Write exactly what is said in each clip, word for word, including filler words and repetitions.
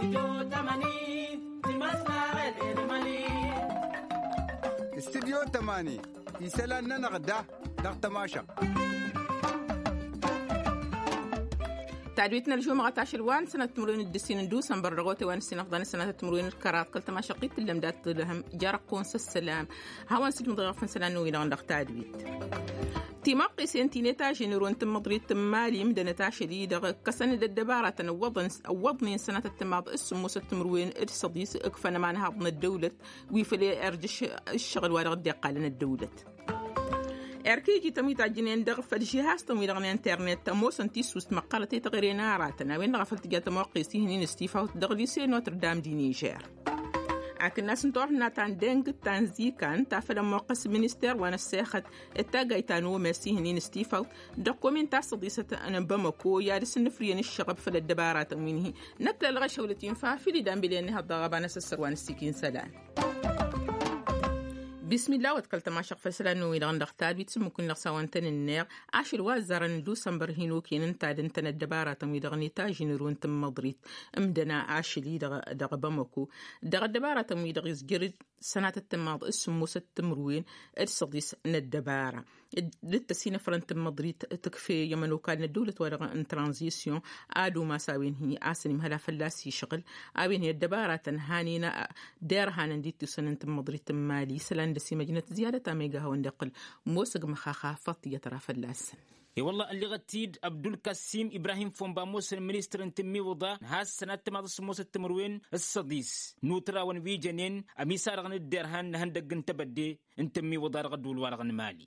Studyo tămani isălan-nănăɣ da dăɣ-tămašăɣt. Tadwit n-ălžumăɣăt ašăl wa n-sănat timǝrwen d-ǝssin n-dusănbăr dăɣ-otay wa n-ǝssin ăfḍan sănat timǝrwen d-kăraḍ kăl-tămašăɣt-i tǝllăm dat-tǝlhăm. Jarăqqun s-ăssălam. Hawăn-sǝjmǝḍ iɣăf n-isălan n-wi-dăɣ dăɣ-tadwit. Timaqqisen ti n-etažen ero n-tǝmmăḍrit n-mali imdănăt ašăl-i-dăɣ ǝkkăsăn-dd ăddăbaratăn ǝwwăḍnen s-sănatăt timaḍ s-sǝmmosăt timǝrwen d-săḍis ǝkfăn ămanhaḍ n-ăddăwlăt wi făll-irj ǝššăɣǝl wa dăɣ-dd-iqqalăn ăddăwlăt. Erk iji-tăn wi tajjǝnen dăɣ-făll-žihaz-tăn wi-dăɣ n-internet ămoosăn tissust măqqărăt i-taɣre n-aratăn a-wen-dăɣ a făl tǝja tămoqqest ihǝnnin s-tifawt dăɣ-lise notre dame d-inižer. Akǝnnas n-turhǝnna ta n-deng ta n-zikan ta făl ămmoqqăs minister wa n-ăssexăt d-taggayt ta n-omes ihǝnnin s-tifawt dăɣ-komin ta s-săḍisăt n-bamăko i-ad-ăsǝnnǝfrǝyăn ǝššăɣăb făll-ăddăbaratăn wi n-hi-năkk lălɣăšăwlăt infa fil-i danbile n-ihăḍ dăɣ-ăbanăs ăssăr wa n-ăssikin isălan. Bismillah wa t-kăl-tămašăɣ făll-isălan n-wi-dăɣ n-dăɣ tadwit s-ǝmmǝk-win-dăɣ s-a-wa n-tăn-ǝnneɣ ašăl wa ăzzarăn n-dusănbăr hin-okăyăn ǝnta d-ǝntăn ăddăbaratăn-wi-dăɣ n-etažin ero n-tǝmmăḍrit ǝmdăna ašăl-i-dăɣ dăɣ-bamăko dăɣ-ăddăbaratăn-wi-dăɣ izjăr-dd sănatăt tǝmmaḍ s-sǝmmosăt timǝrwen d-săḍis n-ăddăbara d-dd-tăsinăfrăn tǝmmăḍrit tǝkfe i-ămănokal n-ăddăwlăt-wa-dăɣ n-tranzisyon ad-umas a-wen hi-asăn imhăla fălla-s išɣǝl a-wen hi-ăddăbaratăn hanen derhanăn d-ittusăn n-tǝmmăḍrit n-mali isălan dăr-s imăjnăt ziyyadăt a ma iga hawăn-dd-iqqǝl. Mosăg măxaxa faḍt iyyăt ra fălla-săn. I-wălla ălliɣăt-dd abdulkăssim ibrahim fomba ămoosăn ministăr n-tǝmmiwǝḍa n-has-sănat timaḍ s-sǝmmosăt timǝrwen s-săḍis n-utrawăn wi jănen ămisadăɣ n-ǝdderhan n-ehăndăgg n-tebădde n-tǝmmiwǝḍa dăɣ-ăddul-wa-dăɣ n-mali.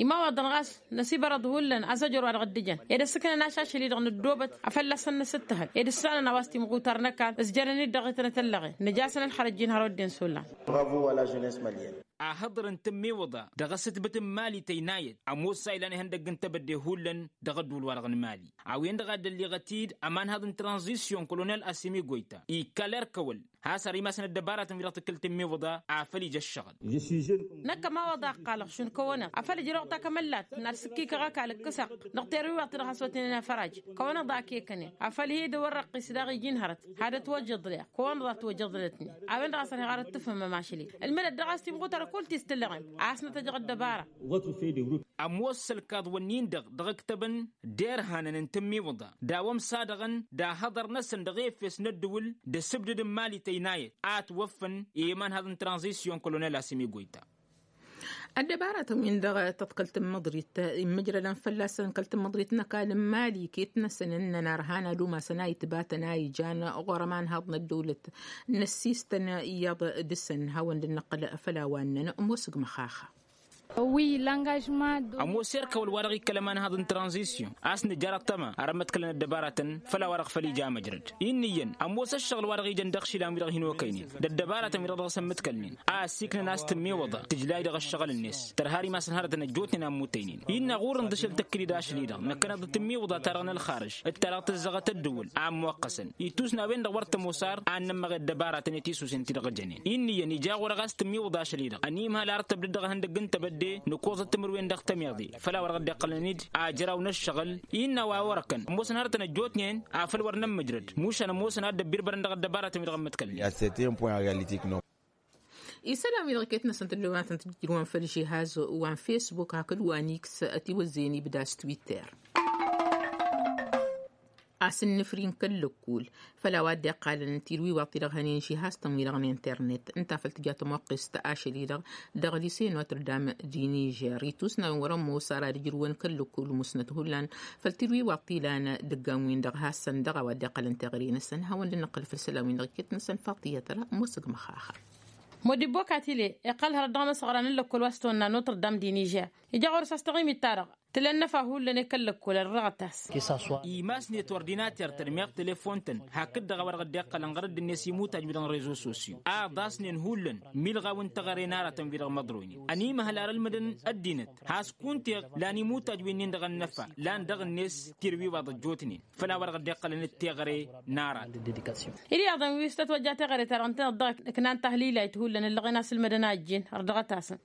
Imawaḍăn ɣas năsibărăḍ hullan asăjăr wa dăɣ-dd-ǝjăn ed ăssǝknăn ašašăl-i-dăɣ n-ăddoobăt afălla-săn nǝsǝttăhăl ed ǝssanăn a-wa s-timɣutar n-ăkall ǝzjărăn-dd dăɣ-itnăt ăllăɣen nǝj'-asăn ălxărăt ijin hărăt dd-insullan. Bravo a la jeunesse malienne. Ahǝḍăr n-tǝmmiwǝḍa dăɣ-asǝtbǝt n-mali tăynayăt ămoos sa ilan ihăndăgg n-tebădde hullan dăɣ-ăddul-wa-dăɣ n-mali a-wen-dăɣ a dd-ălliɣăt-dd ămanhaḍ n-tranzisyon kolonel asimi goyta ikkal erk ăwăl has-ar imasăn ăddăbaratăn wi-dăɣ tǝkkǝl tǝmmiwǝḍa. Afăl ija ăššăɣǝl. Năkk ămawăḍa ăqqalăɣ šund kăwăneḍ afăl ǝjrăwăɣ takămăllat n-ad-sǝkkikăɣ ăkall ǝkkǝsăɣ dăɣ-terwiwaḍt-i-dăɣ has-wătnen afăraj kăwăneḍ a kekănen afăl hi-dd-wărrăqqis daɣ iji n-hărăt had-ătwăjjăḍleɣ kăwăneḍ a ătwăjjăḍlătnen. A-wen-dăɣ a sărheɣ ar ǝttǝfhǝmmăm ašăl-i ǝlmǝdăt dăɣ-a-s timɣutar kull ti s-tǝllăɣem a ăsnăt ăjăɣ ăddăbara. Ămoos-ălkaḍ-wǝnnin-dăɣ dăɣ-ǝktăbăn d-erhanăn n-tǝmmiwǝḍa d-a-wa ămsadăɣăn d-ahăḍăr-năsăn dăɣ-efes n-ăddǝwǝl d-asǝbdǝd n-imali tăynayăt a ătwăffăn i-imanhaḍ n-tranzisyon kolonel asimi goyta. Ăddăbaratăn-win-dăɣ tăḍkăl tǝmmăḍrit immǝjrălăn fălla-săn kăl-tǝmmăḍrit n-ăkall n-imali iket-năsăn ǝnnăn arhan ad-umasăn a itbatăn a ijan ɣur-ămanhaḍ n-ăddăwlăt n-ăssistăn iyyăḍ dăr-săn hawăn-dd-năqqăl făll-a-wa ǝnnăn ămoosăg măxaxa. Ămoos erk ăwăl wa dăɣ-ikkăl ămanhaḍ n-tranzisyon a-s nǝjjăr ăṭṭăma ar ămmăḍkălăn ăddăbaratăn făll-a-wa-dăɣ făl ija măjrăd. Inn'-iyyăn ămoos ăššăɣǝl wa dăɣ-ijăn dăɣ-išilan wi-dăɣ hin-okăynen d-ăddăbaratăn wi-dăɣ dăɣ-s ămmǝḍkălnen a ăssiiknăn a-s tǝmmiwǝḍa tǝjlay dăɣ-ăššăɣǝl-net tărha ar imasăn hărătăn ăjjootnen a ămmutăynen. Innă ɣur-inḍǝšăl tăkkǝd-dd ašăl-i-dăɣ năkkăneḍ d-tǝmmiwǝḍa-ta-dăɣ n-ălxarǝž d-ta-dăɣ tǝzzăɣăt ăddǝwǝl a ămmoqqăsăn itusna a-wen-dăɣ wăr tămoos ar ad-nămmăɣ i-ăddăbaratăn i-tisusen ti-dăɣ jănen. Inn'-iyyăn ija ɣur-e ɣas tǝmmiwǝḍa ašăl-i-dăɣ ănimhal ar tăbdăd dăɣ-ehăndăgg n-tebădde nǝkoẓăt timǝrwen dăɣ-tămiḍe făll-a-wa dăɣ-dd-iqqălăn-dd ajraw n-ăššăɣǝl. Innă a-wa wăr-ăkkăn ămoosăn hărătăn ăjjootnen afăl wăr nămmǝjrăd mušan ămoosăn ad-dd-ăbbirbărăn dăɣ-ăddăbaratăn wi-dăɣ ămmăḍkălnen. Isălan wi-dăɣ iket-năsăn tǝllǝwăn ad-tăn-tǝjrǝwăn făll-žihaz wa n-fesbuk hakd wa n-iks ătiwăzzăyăn ibda s-twitter. A-s ǝnnǝfri n-kăl-lăkkul făll-a-wa dd-iqqalăn tirwiwaḍ-ti-dăɣ hănen žihaz-tăn wi-dăɣ n-internet ǝnta făl tǝja tămoqqest ašăl-i-dăɣ dăɣ-lise notre dame di nižer itusna a-wen wăr-ămoos ar ad-ǝjrǝwăn kăl-lăkkul musnăt hullan făll-tirwiwaḍ ti lan dăggan-win-dăɣ hassăn dăɣ-a-wa dd-iqqălăn teɣăre-năsăn hawăn-dd-năqqǝl făll-isălan-win-dăɣ iket-năsăn faḍt iyyăt ra ămoosăg măxaxa. Modibbo katile iqqăl hărăt dăɣ-imăsăɣra n-lăkkol wa s-tonna notre dame di nižer ija ɣur-s a-s taɣimit-ta-dăɣ tǝla ănnăfa hullan i-kăl-lăkkol ărrăɣăt-as. Imasnet ordinater-tăn meɣ telefon-tăn hakd-dăɣ a-wa dăɣ-dd-iqqălăn ɣărădd-net imutaj-wi-dăɣ n-rezo sosyo a ăḍasnen hullan milɣaw n-teɣăre n-aratăn-wi-dăɣ măḍroynen ănimhăl ar ǝlmǝdăn ăddinăt has-kunteɣ lan imutaj-winnin-dăɣ ănnăfa lan dăɣ-net tirwiwaḍ ăjjootnen făll-a-wa dăɣ-dd-iqqălăn d-teɣăre n-arat. Iriyaḍăn wi s-tătwăjja teɣăre-ta-dăɣ ǝnta-dăɣ ăknan tahlilayt hullan ǝllăɣen a-s ǝlmǝdăn a ǝjjin ărdăɣăt-asăn.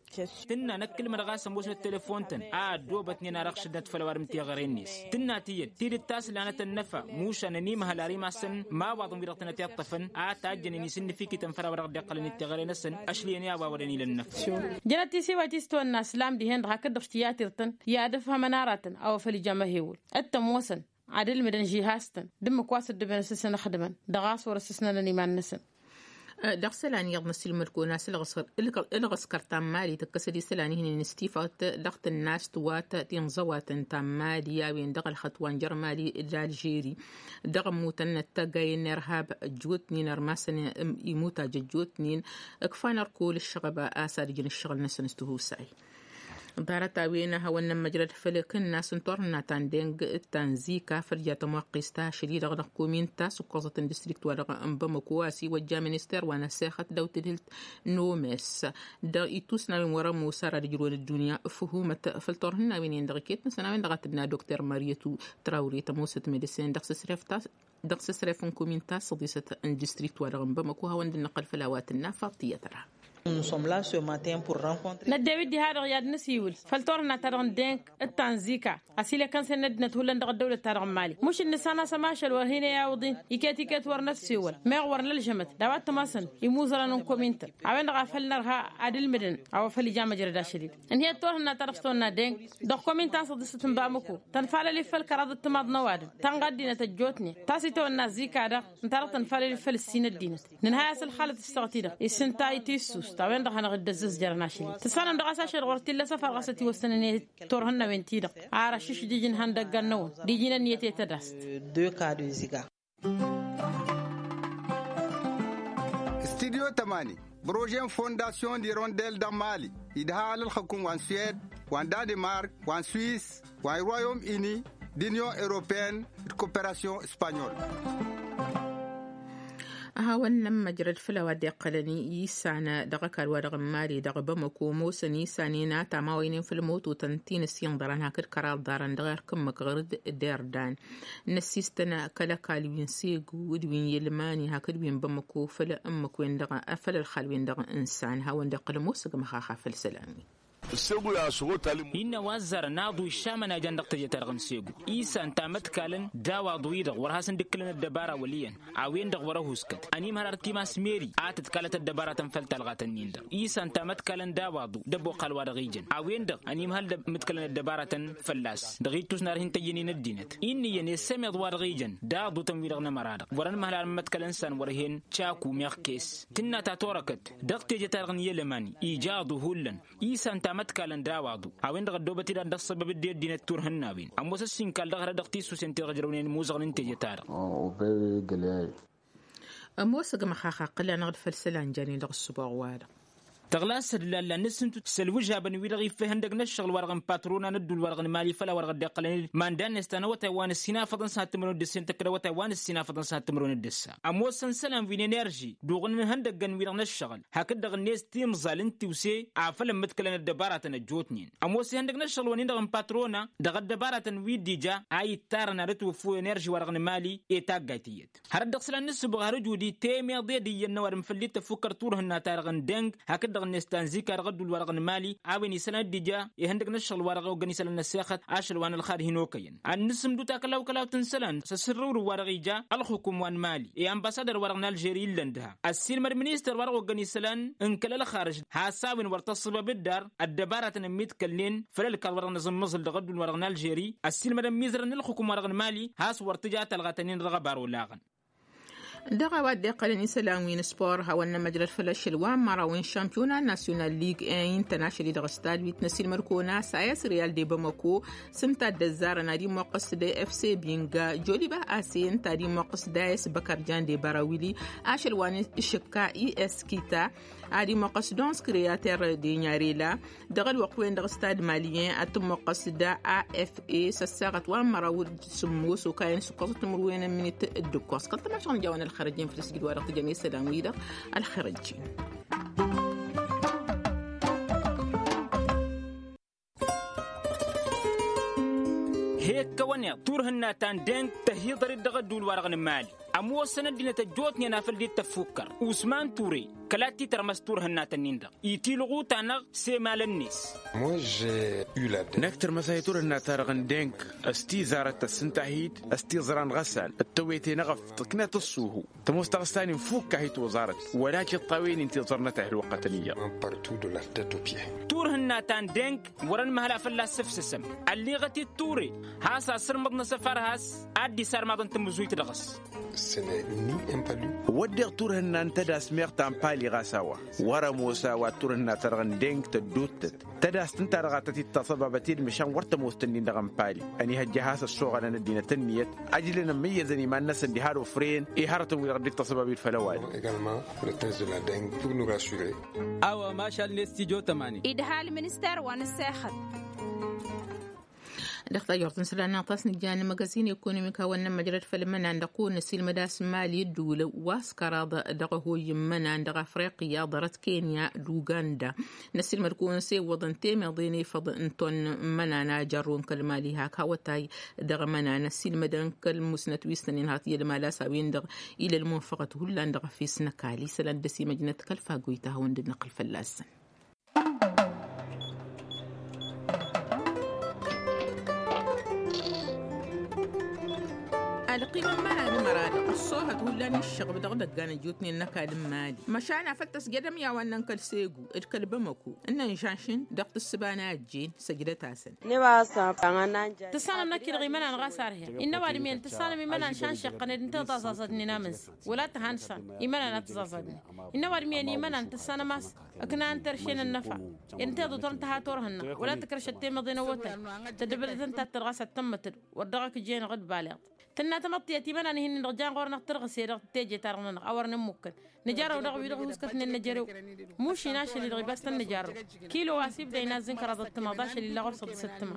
Tǝnna năkk ǝlmădăɣ a-s ămoosnăt telefon-tăn a ăddoobătnen. N-arăɣ šăddinăt făll-ăwadǝm teɣăre-net tǝnna tiyyăt tidǝt ta s-lanăt ănnăfa mušan ănimhăl ar imassăn imawaḍăn wi-dăɣ tănăt iṭṭăfăn a tajjănen isǝnnǝfikităn făll-a-wa dăɣ-dd-iqqălăn d-teɣăre-năsăn. Ašli ăniyawawădăn ila ănnăfa. Jănăt tisiwayt i-s tăwănna slam dihen-dăɣ hakd-dăɣ s-tiyyăt irtăn i-ad-ǝfhămăn aratăn a-wa făl ija măhewăl d-tămoosăn ad-ǝlmǝdăn žihastăn d-ǝmmǝk wa s-ăddăbănăn s-ǝsǝnăxdǝmăn dăɣ-a-s wăr-ăssǝsnănăn iman-năsăn. Dăɣ-isălan iyyăḍ n-ăsilmăd-kăwăn a-s ǝlɣǝskăr ta n-mali tǝkkăsăd isălan ihnen n-istifawt dăɣ-tǝnnast wa t-tinẓăwatăn ta n-mali a-wen dăɣ-ălxăṭṭ wa n-jăr mali d-alžeri dăɣ-ămmutăn n-ăttăggayen n-irhab ăjjootnen ărmasăn imutaj ăjjootnen ǝkfan ărkul ǝššăɣăb a-s ad-ǝjǝn ǝššăɣǝl-năsăn s-tihusay. Ḍarăt-a-wen a hawăn-nămmăjrăd făll-kǝnnasăn turhǝnna ta n-deng d-ta n-zika făll-ja tămoqqes ta ašăl-i-dăɣ dăɣ-kumin ta s-ǝkkoẓăt n-distrikt wa dăɣ-n bamăko a-s iwăjja minister wa n-asexăt daw-tǝdhǝlt n-omes dăɣ-itusnawen wăr-ămoos ara d-ǝjrăwăn ăddunya. Făhumăt făll-turhǝnnawen-in-dăɣ iket-năsăn a-wen-dăɣ a tǝnna dokter mariyătu trawre tămoosăt medăsen dăɣ-s ăsref ta dăɣ-s ăsref n-kumin ta s-ăḍisăt n-distrikt wa dăɣ-n bamăko hawăn-dd-năqqăl făll-a-wa tǝnna faḍt tiyyăt ăra. Năddew-dd diha-dăɣ i-ad-nǝsiwǝl făll-turhǝnna-ta-dăɣ n-deng d-ta n-zika ăsilăkăn-sen n-ăddinăt hullan dăɣ-ăddăwlăt-ta-dăɣ n-mali mušǝl nǝssan a-s ămašal wăr hin-e-awǝḍin iket-iket wăr năssiwăl meɣ wăr nălžămăt d-a-wa t-ămasăn imuzărăn n-komintăn a-wen-dăɣ a făl nărha ad-ǝlmǝdăn a-wa făl ija măjrăd ašăl-dd. Ǝnhǝyăt turhǝnna-ta-dăɣ s-tăwănna deng dăɣ-komin ta n-săḍisăt n-bamăko tănfalăl-i făll-kăraḍ d-timaḍ n-ăwadǝm ta n-ɣaddinăt ăjjootnen ta s-itawănna zika-dăɣ ǝnta-dăɣ tănfalăl-i făll-ǝssin ăddinăt. Nǝnhăy a-s ălxalăt ǝssaɣăt-i-dăɣ isǝnta itissust a-wen-dăɣ hanăɣ-dd-ăzzăzjărăn ašăl-i tǝssanăm dăɣ-a-s ašăl ɣur t-illa săfar ɣas ătiwăssănăn i-turhǝnnawen-ti-dăɣ ar ăššǝšdǝj n-ihăndăggan-năwăn d-iji n-ănniyăt i-tădast. Studyo tămani prože n-fondasyon d-irondel dăɣ-mali idha alălxăkum wa n-suwed wa n-danimark wa n-swis wa n-royom ini d-inyon europeen d-koperasyon espanyol. A hawăn-nămmăjrăd făll-a-wa dd-iqqălăn isan dăɣ-ăkall wa dăɣ-n mali dăɣ-bamăko ămoosăn isan i-nata ma wăynen făll-mototăn ti n-ăssinḍăran hakd kăraḍ ḍarăn dăɣ-erk ǝmmǝk ɣur-dd d-erdan n-ăssistăn kăl-ăkall wi n-segu d-wi n-yălmani hakd wi n-bamăko făll-ǝmmǝk-wen-dăɣ făll-ălxal-wen-dăɣ n-isan hawăn-dd-iqqăl ămoos ăgg măxaxa făll-isălan-wi. Innă wa ăzzarăn aḍu išamăn a ijan dăɣ-teje-ta-dăɣ n-segu isan tamătkalăn d-awaḍu-i-dăɣ wăr hasăn-dd-ǝkkǝlăn ăddăbara wăl' iyyăn a-wen-dăɣ wăr-ăhuskăt ănimhăr ar timas meri a tǝtkalăt ăddăbaratăn făll-talɣatăn-in-dăɣ isan tamătkalăn d-awaḍu d-ăbboqal wa dăɣ-ijăn a-wen-dăɣ ănimhăl mǝtkălăn ăddăbaratăn fălla-s dăɣ-ittus n-ar hin-tăjjănen ăddinăt. Inn'-iyyăn i-ăssămeḍ wa dăɣ-ijăn d-aḍutăn-wi-dăɣ n-ămăra-dăɣ wăr-ănmăhăl ar n-mătkălăn s-an wăr-hen caku meɣ kes tǝnna ta torăkăt dăɣ-teje-ta-dăɣ n-yelămani ija aḍu hullan isan tamătkalăn d-awaḍu a-wen-dăɣ ăddoobăt-dd ad-dd-ăṣṣăbăb dd-i ăddinăt turhǝnnawen ămoos ăssinkal dăɣ-hărăt dăɣ-tisusen ti-dăɣ ǝjrăwnen imuzăɣăn n-teje-ta-dăɣ. Ămoos ăgg măxaxa ăqqǝl-anăɣ-dd făll-isălan janen dăɣ-ǝssǝboɣ-wa-dăɣ. Tăɣlasăt lalla n-asǝntu s-ălwǝžabăn-wi-dăɣ iffehăn dăgg-năššăɣǝl wa dăɣ-n patrona n-ădduul wa dăɣ-nǝmali făll-a-wa dăɣ-dd-iqqălăn d-manda-net ta n-awătay wa n-ǝssin afăḍăn s-ad-tǝmrǝwăn d-ǝssin tăkkăd awătay wa n-ǝssin afăḍăn s-ad-tǝmrǝwăn d-ǝssa ămoosăn isălan wi n-enerži duɣǝn n-ihăndăggăn-wi-dăɣ n-ăššăɣǝl hakd-dăɣ-net timẓal n-tiwse afăl ămmǝdkălăn ăddăbaratăn ăjjootnen. Ămoos ihăndăg n-ăššăɣǝl-wăn-in-dăɣ n-patrona dăɣ-ăddăbaratăn wi dd-ija a ittarăn ad-ătwǝffu enerži wa dăɣ-nǝmali i-taggayt iyyăt. Hărăt dăɣ-isălan n-ǝssǝboɣ har ǝjud-i temeḍe d-iyyăn n-ăwadǝm făll-dd-tăfukkăr turhǝnna-ta-dăɣ n-deng hakd-dăɣ-net ta n-zika dăɣ-ădduul wa dăɣ-nǝmali a-wen isălan dd-ija ihăndăg n-ăššăɣǝl wa dăɣ-i oggăn isălan n-ăssexăt ašăl wa n-ălxad hin-okăyăn. Ad-nǝsǝmdǝw takălawkălawt n-isălan s-asǝrrǝwrǝw wa dăɣ-ija ălxukum wa n-mali i-ănbasadăr wa dăɣ-n alžeri illăn dăɣ-ha ăssiilmăd ministăr wa dăɣ-oggăn isălan n-kăl-ălxarǝž has-a-wen wăr tăṣṣăbăb dd-ar ăddăbaratăn ămmiḍkălnen făll-ălkaḍ wa dăɣ-nǝẓǝmmǝẓǝl dăɣ-ădduul wa dăɣ-n alžeri ăssiilmădăn mizărăn n-ǝlxǝkǝm wa dăɣ-nǝmali has-wăr tǝja talɣa-tăn-in dăɣ-ăbar olaɣăn. Dăɣ-a-wa dd-iqqălăn isălan wi n-ăspor hawăn-nămăjrăd făll-ašăl wa n-măraw n-šampiona nasyonal lig-in-tăn ašăl-i-dăɣ stad wi t-năsilmăd-kăwăn a-s a s-riyal de bamăko s-ǝnta a dd-ăzzarăn ad-immoqqăs d-efse binga joliba a-s ǝnta ad-immoqqăs d-a s-băkărjan de barawili ašăl wa n-išǝkka i-eskita ad-immoqqăs d-onskriyater de nyarela. Dăɣ-ălwăqq-wen-dăɣ stad maliyen ad-tǝmmoqqăs d-a f e s-ăssaɣăt wa n-măraw d-sǝmmos okayăn s-ǝkkoẓăt timǝrwen n-minit d-ǝkkoẓ kăl-tămašăɣ n-jawăn ălxărăjjen făll-asǝjǝd wa dăɣ-tǝjăn i-isălan-wi-dăɣ. Ălxărăjjen. He-ǝkkăwăn iḍ turhǝnna ta n-deng tăhiḍăr-dd dăɣ-ădduul-wa-dăɣ n-mali. Ămoosăn ăddinăt ăjjootnen afăl dd-tăffukkăr usman ture. kăla t-itărmăs turhǝnna-tăn-in-dăɣ itilɣu-ta-năɣ s-emal-net. Năkk tărmăs a hi-turhǝnna-ta-dăɣ n-deng s-tizarăt tăssǝnta hit s-tiẓran ɣăsan d-tăwete n-eɣăf tǝknăt ǝṣṣuhu. Tămoos taɣǝsta-nin fukk a hi-toẓarăt wăla tiṭṭawen-in tiẓărnăt a hi-ălwăqqătăn iyyăḍ. Turhǝnna ta n-deng wăr-ănmăhăl a fălla-s sǝfsǝsăm ălliɣăt-dd ture has-asǝrmǝḍ n-asăfar has-ad-dd-isarmaḍăn tamǝzuyt dăɣ-s. Wădden turhǝnna n-tădas meɣ ta n-pali ɣas a-wa wăr-ămoos a-wa turhǝnna-ta-dăɣ n-deng tădduuttăt tădast ǝnta-dăɣ a tăt-dd-taṣăbabăt i-dd măšan wăr tămoos-tăn-in-dăɣ n-pali. Ănihăjja a has-ăssoɣălăn ăddinăt ǝnniyăt ăjlăn ămmăyyăzăn iman-năsăn diha d-ofrăyăn i-hărătăn-wi-dăɣ dd-taṣăbab i-dd făll-ăwadǝm. Awa mašal n-estidyo tămani. Idha ălminister wa n-ăssexăt. Dăɣ-tajort n-isălan-năɣ ta s-nǝjjan n-imăgăzin ekonomik hawăn-nămmăjrăd făll-imănan dăɣ-kăwăn-năsilmăd a-s n-imali ădduulăn wa s-kăraḍ dăɣ-ăhoy n-imănan dăɣ-afriqya ḍarăt kenya d-uganda. Năsilmăd kăwăn-s iwwăḍăn temeḍe n-efăḍ n-ton n-imănan a jărrun kăl-imali hak hawătay dăɣ-imănan ăsilmădăn kăl-musnăt wi s-tăn-inhăḍ i-ălmal a-s a-wen-dăɣ ila ălmunfăɣăt hullan dăɣ-efes n-ăkall isălan dăr-s imăjnăt kăl-fagoyt a hawăn-dd-năqqǝl fălla-săn. Ălqim n-imănan imăra-dăɣ ăṣṣoohăt hullan i-ǝššăɣb dăɣ-idăggan ăjjootnen n-ăkall n-imali măšan afăl tăsjădăm i-a-wa ǝnnăn kăl-segu d-kăl-bamăko ǝnnăn žănšǝn dăɣ-tǝssǝba n-a ăjjeen. Săjdăt-asăn. Tǝssanăm năkk-i-dăɣ imănan ɣas arhe. Innă ăwadǝm iyyăn tǝssanăm imănan šănšeɣ-tăn ed ǝnta i-dd-taẓaẓădnen amǝnzăy wăla tăhansa imănan ad-tǝẓaẓădnen. Innă ăwadǝm iyyăn imănan tǝssanăm a-s ǝknan terše n-ănnăfa ed ǝnta i-dd-otrăn tăha turhǝnna wăla tǝkrăšăt temeḍe n-awătay. Tăddăbădăt ǝnta ad-tăr ɣas ad-tămmătăd wăr dăɣ-ăkk jen-dăɣ d-baleḍ. Tǝnna tamăḍt tiyyăt imănan-hi-nin-dăɣ jan ɣur-năɣ tǝrɣǝse dăɣ-teje-ta-dăɣ-nănăɣ a wăr nǝmmukăn. Nǝjarrăw dăɣ-wi-dăɣ ăhuskătnen n-ejărew. Mušin ašăl-i-dăɣ ibas tăn-nǝjarrăw kilo wa s-ibda inazzǝn kăraḍăt timaḍ ašăl illa ɣur-săḍǝsăt timaḍ.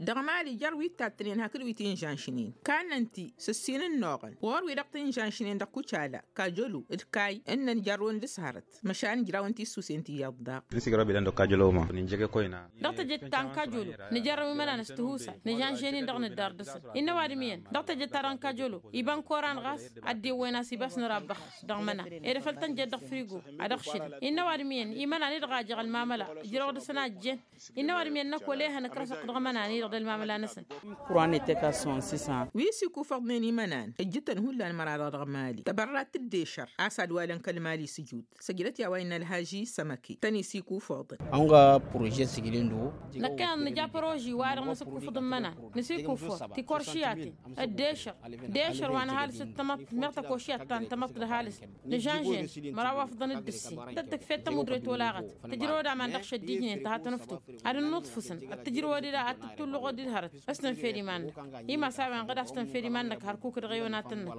Dăɣ-mali jer-wi t-tattǝnen hakd wi t-inžănšnen kannăn-ti s-ǝssin ǝnnuɣăn ɣur-wi-dăɣ t-inžănšnen dăɣ-kucala kajălu d-kay ǝnnăn jarrăwăn d-s hărăt. Măšan ǝjrawăn tissusen ti iyyăḍ daɣ. N-sigăra bidan dăɣ-kajălu ma n-injăge koyna. Dăɣ-tejăt ta n-kajolo nǝjărrăw imănan s-tihusay nǝžănžen-in-dăɣ nǝddar dăɣ-săn. Innă ăwadǝm iyyăn dăɣ-tejăt-ta-dăɣ n-kajolo iba n-koran ɣas ad-dd-iwwăyăn a-s ibas nărabbăx. Dăɣ-imănan ed afăl tăn-jăt dăɣ-frigo ad-ăɣšǝdăn. Innă ăwadǝm iyyăn imănan-i-dăɣ a jăɣ ălmamăla ǝjrăwăɣ dăɣ-săn a ǝjjen. Innă ăwadǝm iyyăn năkk wăla ehăn ǝkrăsăɣ-t dăɣ-imănan-i-dăɣ d-ălmamăla-năsăn. Wi s-ikufăḍnen imănan ǝjjǝtăn hullan măra-dăɣ dăɣ-mali tăbărrat d-ešăr a-s ad-walăn kăl-mali s-ǝjut. Săjdăt i-a-wa innă ălhaži sămăke tăn-isikufăḍăn. Năkkăneḍ nǝja păroži wa-dăɣ nǝsǝkkufǝḍ n-imănan nǝsikufăḍ tikoršiyaten d-ešăr d-ešăr wa nǝhalǝs d-tamăḍt meɣ tăkošiyat ta n-tamăḍt d-ăhalǝs nǝžănžen măraw afḍăn d-ǝssin tăt-tǝkfed tămudret olaɣăt. Tǝjrăwăd aman dăɣ-šăddijnen tăha tănăftu ad-ǝnnuḍfǝsăn ad-tǝjrăwăd-dd ad-tǝttulluɣăd-dd hărăt. S-tǝnfed iman-năk imas a-wen ɣǝd a-s tǝnfed iman-năk hărkuk dăɣ-ewănatăn-năk.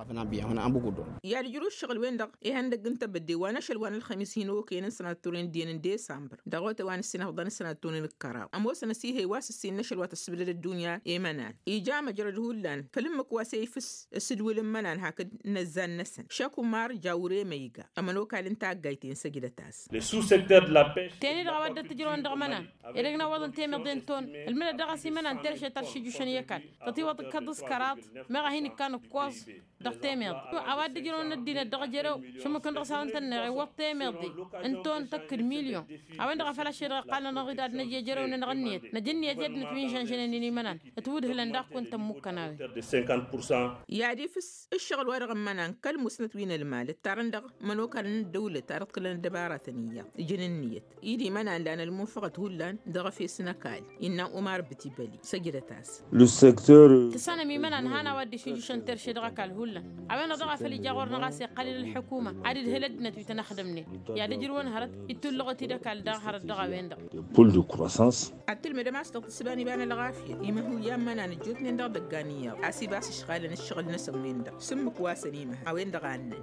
I-ad-ǝjrǝw ǝššăɣǝl-wen-dăɣ ihăndăgg n-tebădde wa n-ašăl wa n-ălxămis hin-okăyăn n-sănatturen d-iyyăn n-desambăr dăɣ-otay wa n-ǝssinăfḍăn n-sănatturen d-kăraḍ ămoosăn ăsihăy wa s-ǝssin n-ašăl wa tăssǝbdăd ăddunya i-imănan. Ija măjrăd hullan făll-ǝmmǝk wa s-e-ifǝs s-ǝdwǝl n-imănan hakd n-ăzzan-năsăn šăkumar jawre măyga ămănokal n-taggayt-en săjdăt-as. Teni-dăɣ a-wa dd-ăttǝjrăwăn dăɣ-imănan edăgg n-awăḍăn temeḍe n-ton ǝlmǝdăt dăɣ-s imănan terše ta d-šijušăn i-ăkall tătiwăḍ kăḍ-s kăraḍ meɣ a hin-ikkan ǝkkoẓ. Dăɣ-temeḍe a-wa dd-ǝjrăwăn ăddinăt dăɣ-ejărew šǝmmǝkăn dăɣ-s hawăn-tăn-neɣ iwwăḍ temeḍe n-ton tăkk d-milyon. A-wen-dăɣ a făl ašăl-i-dăɣ iqqalăn-aɣ-dd ad-năj ejărew-nănăɣ ǝnniyăt năj ǝnniyăt i-ăddinăt wi n-žănžănen-in imănan. Ǝtwǝdhǝlăn daɣ kunta ǝmmukăn a-wen. I-ad-ifǝs ǝššăɣǝl-wa-dăɣ n-imănan kăl-musnăt wi n-ălmal ǝttarăn dăɣ-imănokalăn n-ăddăwlăt ad-ǝḍkǝlăn ăddăbaratăn iyyăḍ ǝjǝn ǝnniyăt. I-dd imănan lan ălmunfăɣăt hullan dăɣ-efes n-ăkall innă umar bǝtibăli. Săjdăt-as. Tǝssanăm imănan han a-wa dd-išǝjjušăn terše dăɣ-ăkall hullan. A-wen-dăɣ daɣ a făl ija ɣur-năɣ a-s iqqăl ila ălḥukuma ad-idhǝl ăddinăt wi tăn-ăxdămnen. I-ad-ǝjrǝwăn hărăt ittullăɣăt-dd ăkall daɣ hărăt dăɣ-a-wen-dăɣ. Ad-tǝlmǝdăm a-s dăɣ-tǝssǝba n-iba n-ălɣafyăt imăhuyya n-imănan ăjjootnen dăɣ-idăggan iyyăḍ a-s ibas ǝšɣalăn ǝššăɣǝl-năsăn-wen-dăɣ s-ǝmmǝk wa săn imăhăn a-wen-dăɣ a ǝnnăn.